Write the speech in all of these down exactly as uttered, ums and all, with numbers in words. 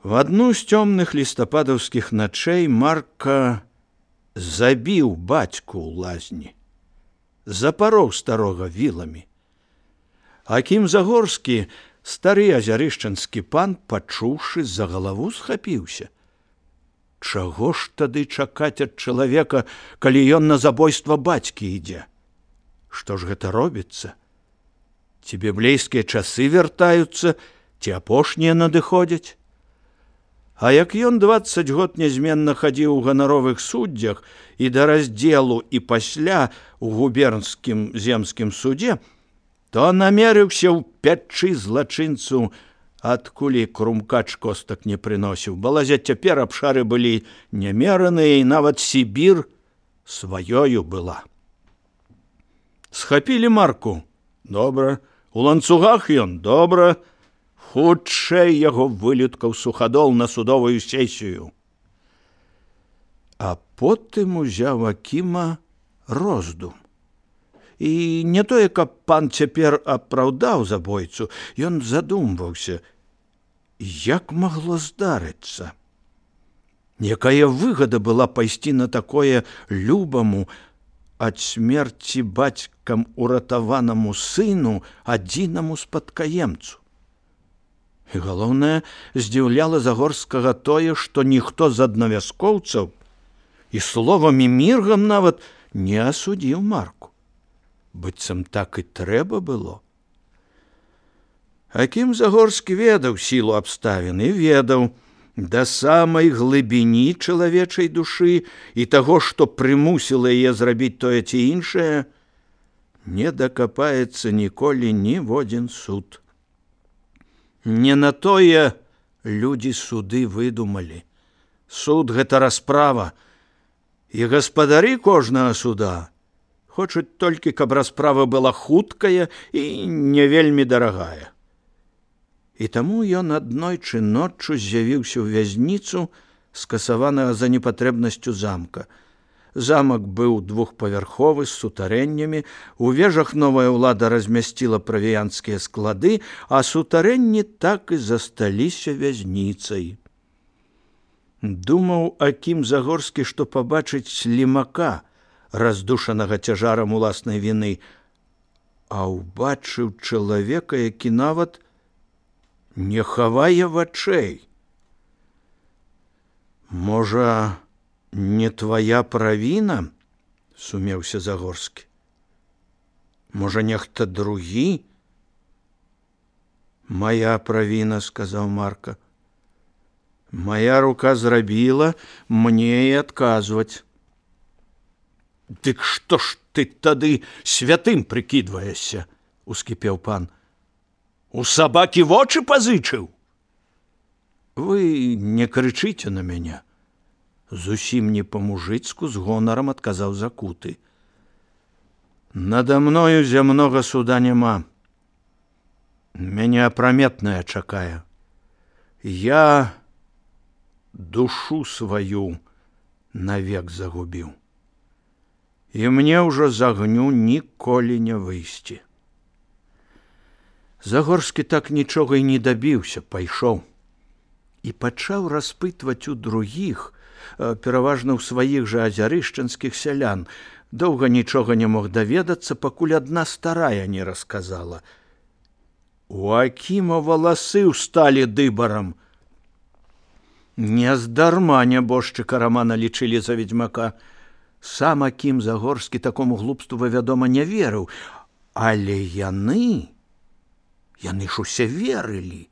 В адну з цёмных лістападаўскіх начэй Марка забіў бацьку ў лазні, запароў старога віламі. Акім Загорскі, стары азярышчанскі пан, пачуўшы, за галаву схапіўся. Чаго ж тады чакаць ад чалавека, калі ён на забойства бацькі ідзе? Што ж гэта робіцца? Ці біблейскія часы вяртаюцца, ці апошнія надыходзяць? А як ён дваццаць год нязменна хадзіў у ганаровых суддзях і да раздзелу і пасля у губернскім земскім судзе, то намерыўся ў пячы злачынцу, адкуль крумкач костак не прыносіў. Балазя цяпер абшары былі нямераныя, і нават Сібір сваёю была. Схапілі Марку? Добра. У ланцугах ён? Добра. Хутчэй яго вылюткаў суходол на судовую сесію. А потым узяў Акіма роздум. І не тое, каб пан цяпер апраўдаў забойцу, ён задумваўся, як магло здарыцца. Якая выгада была пайсці на такое любаму, ад смерці бацькам уратаванаму сыну, адзінаму спадкаемцу. І галоўнае, здзіўляла Загорскага тое, што ніхто з аднавяскоўцаў і словам і міргам нават не асудзіў Марку. Быццам так і трэба было. Акім Загорскі ведаў сілу абставін і ведаў, да самай глыбіні чалавечай душы і таго, што прымусіла яе зрабіць тое ці іншае, не дакапаецца ніколі ніводзін суд. Не на тое людзі суды выдумалі. Суд — гэта расправа, і гаспадары кожнага суда хочуць толькі, каб расправа была хуткая і не вельмі дарагая. І таму ён аднойчы ноччу з'явіўся ў вязніцу, скасаванага за непатрэбнасцю замка. Замак быў двухпавярховы з сутарэннямі, у вежах новая ўлада размясціла правіянцкія склады, а сутарэнні так і засталіся вязніцай. Думаў Акім Загорскі, што пабачыць слімака, раздушанага цяжарам уласнай віны, а ўбачыў чалавека, які нават не хавае вачэй. Можа, не твая правіна? — сумеўся Загорскі. Можа, нехта другі? Мая правіна, — сказаў Марка. Мая рука зрабіла, мне і адказваць. Дык што ж ты тады святым прыкідваешся? — ускіпеў пан. У сабакі вочы пазычыў? Вы не крычыце на мяне. Зусім не па-мужыцку, з гонарам адказаў Закуты. Нада мною зямнога суда няма. Мяне апраметная чакае. Я душу сваю навек загубіў. І мне ўжо з агню ніколі не выйсці. Загорскі так нічога і не дабіўся, пайшоў. І пачаў распытваць у другіх, пераважна ў сваіх жа азярышчанскіх сялян. Доўга нічога не мог даведацца, пакуль адна старая не расказала. У Акіма валасы ўсталі дыбарам. Нездарма нябожчыка Рамана лічылі за ведзьмака. Сам Акім Загорскі такому глупству, вядома, не верыў, але яны, яны ж усе верылі.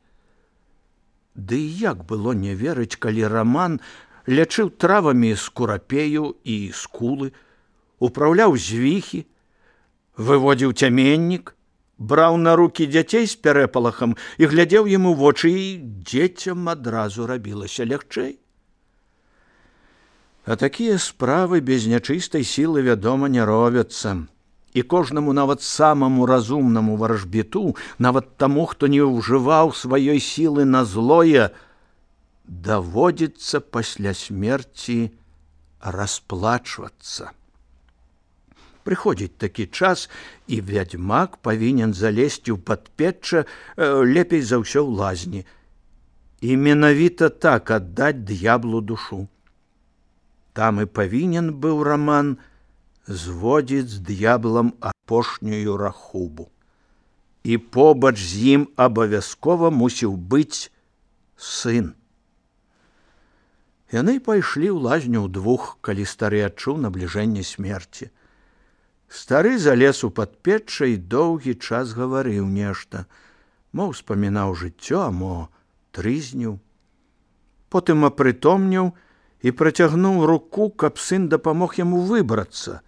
Ды як было не верыць, калі Раман лячыў травамі скурапею і скулы, управляў звіхі, выводзіў цяменнік, браў на рукі дзяцей з пярэпалахам і глядзеў ім у вочы, і дзецям адразу рабілася лягчэй. А такія справы без нячыстай сілы, вядома, не робяцца. І кожнаму, нават самаму разумнаму варажбіту, нават таму, хто не ўжываў сваёй сілы на злое, даводзіцца пасля смерці расплачвацца. Прыходзіць такі час, і вядзьмак павінен залезці ў падпечча, лепей за ўсё ў лазні. і менавіта так аддаць д'яблу душу. Там і павінен быў Раман зводзіць з д'яблам апошнюю рахубу. І побач з ім абавязкова мусіў быць сын. Яны пайшлі ў лазню ўдвух, калі стары адчуў набліжэнне смерці. Стары залез у падпечча і доўгі час гаварыў нешта, мо ўспамінаў жыццё, а мо трызніў. Потым апрытомніў і працягнуў руку, каб сын дапамог яму выбрацца.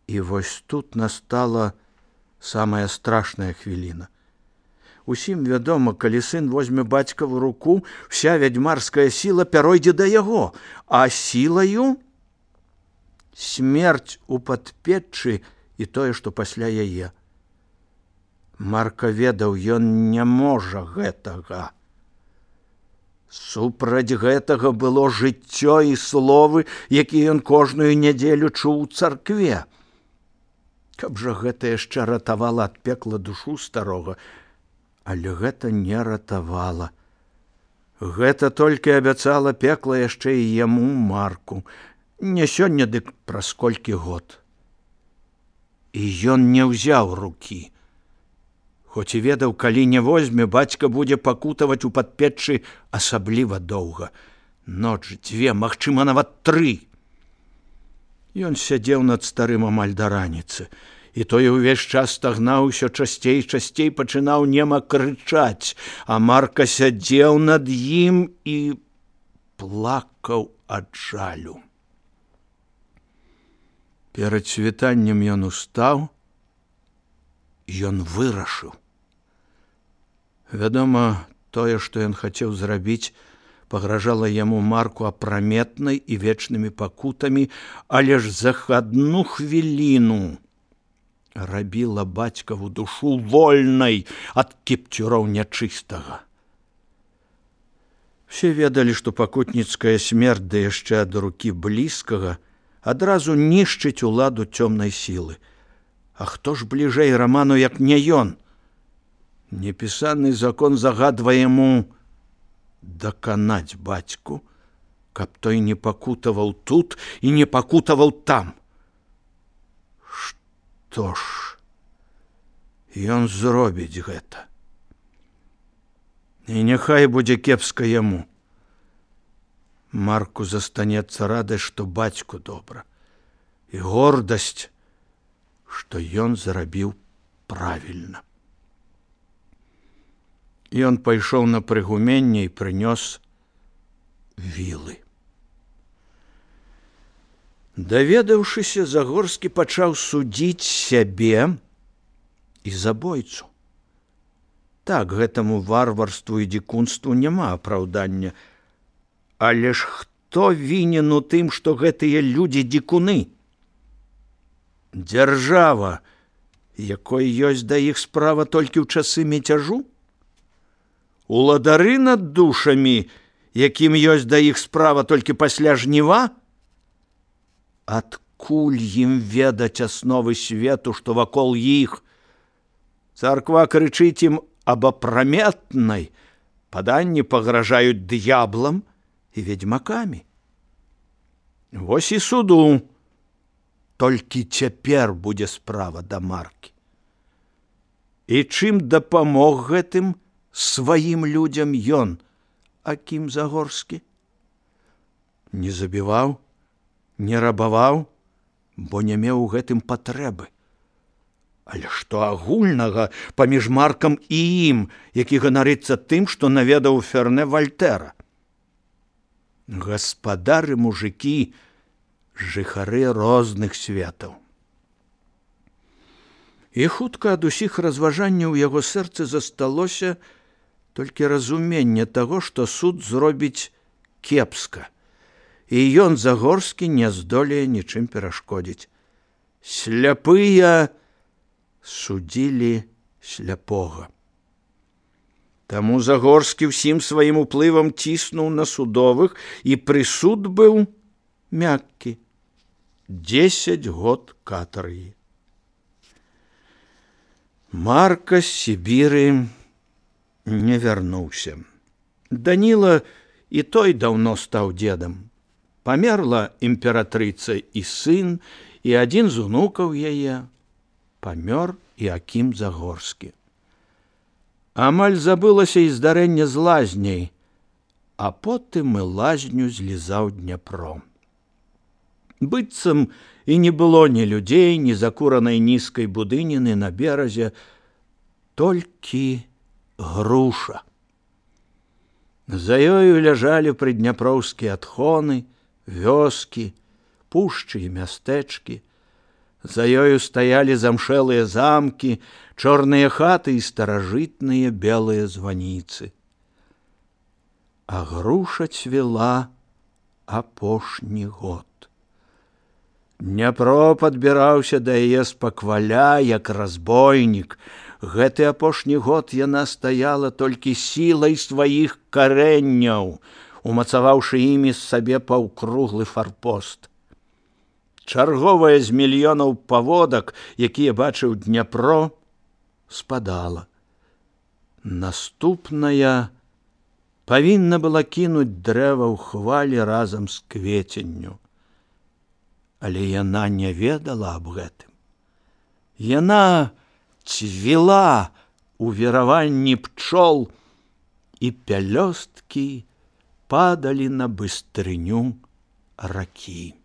І вось тут настала самая страшная хвіліна. Усім вядома, калі сын возьме бацькаву руку, вся вядзьмарская сіла пяройдзе да яго, а сілаю смерць у падпеччы і тое, што пасля яе. Марка ведаў, ён не можа гэтага. Супраць гэтага было жыццё і словы, якія ён кожную нядзелю чуў у царкве. Каб жа гэта яшчэ ратавала ад пекла душу старога, але гэта не ратавала. Гэта толькі абяцала пекла яшчэ і яму, Марку. Не сёння, дык праз колькі год. І ён не ўзяў рукі. Хоць і ведаў, калі не возьме, бацька будзе пакутаваць у падпеччы асабліва доўга. Ноч, дзве, магчыма, нават тры. Ён сядзеў над старым амаль да раніцы, і той увесь час стагнаў, усё часцей і часцей пачынаў нема крычаць, а Марка сядзеў над ім і плакаў ад жалю. Перад світаннем ён устаў, ён вырашыў. Вядома, тое, што ён хацеў зрабіць, пагражала яму Марку апраметнай і вечнымі пакутамі, але ж за адну хвіліну рабіла бацькаву душу вольнай ад кіпцюроў нячыстага. Все ведалі, што пакутніцкая смерць, да яшчэ ад рукі блізкага, адразу нішчыць уладу цёмнай сілы. А хто ж бліжэй Раману, як не ён? Непісаны закон загадвае яму даканаць бацьку, каб той не пакутаваў тут і не пакутаваў там. Што ж, ён зробіць гэта. І няхай будзе кепска яму. Марку застанецца радасць, што бацьку добра, і гордасць, што ён зрабіў правільна. Ён пайшоў на прыгуменне і прынёс вілы. Даведаўшыся, Загорскі пачаў судзіць сябе і забойцу. Так, гэтаму варварству і дзікунству няма апраўдання. Але ж хто вінен у тым, што гэтыя людзі дзікуны? Дзяржава, якой ёсць да іх справа толькі ў часы мятяжу? Уладары над душамі, якім ёсць да іх справа толькі пасля жніва? Адкуль ім ведаць асновы свету, што вакол іх? Царква крычыць ім аб апраметнай, паданні пагражаюць д'яблам і ведьмакамі. Вось і суду. Толькі цяпер будзе справа да Маркі. І чым дапамог гэтым сваім людзям ён, Акім Загорскі? Не забіваў, не рабаваў, бо не меў у гэтым патрэбы. Але што агульнага паміж Маркам і ім, які ганарыцца тым, што наведаў Ферне Вальтэра? Гаспадары мужыкі, жыхары розных светаў. І хутка ад усіх разважанняў у яго сэрцы засталося толькі разуменне таго, што суд зробіць кепска, і ён, Загорскі, не здолее нічым перашкодзіць. Сляпыя судзілі сляпога. Таму Загорскі ўсім сваім уплывам ціснуў на судовых, і прысуд быў мяккі – дзесяць год катаргі. Марка з Сібіры не вярнуўся. Даніла і той даўно стаў дзедам. Памерла імператрыца і сын, і адзін з унукаў яе. Памёр і Акім Загорскі. Амаль забылася і здарэнне з лазняй, а потым і лазню злізаў Дняпро. Быццам і не было ні людзей, ні закуранай нізкай будыніны на беразе, толькі груша. За ёю ляжалі прыдняпроўскія адхоны, вёскі, пушчы і мястэчкі. За ёю стаялі замшэлыя замкі, чорныя хаты і старажытныя белыя званіцы. А груша цвела апошні год. Дняпро падбіраўся да яе спакваля, як разбойнік. Гэты апошні год яна стаяла толькі сілай сваіх карэнняў, умацаваўшы імі сабе паўкруглы фарпост. Чарговая з мільёнаў паводак, якія бачыў Дняпро, спадала. Наступная павінна была кінуць дрэва ў хвалі разам з кветенню. Але яна не ведала аб гэтым. Яна цвіла у віраванні пчол, і пялёсткі падалі на быстрыню ракі.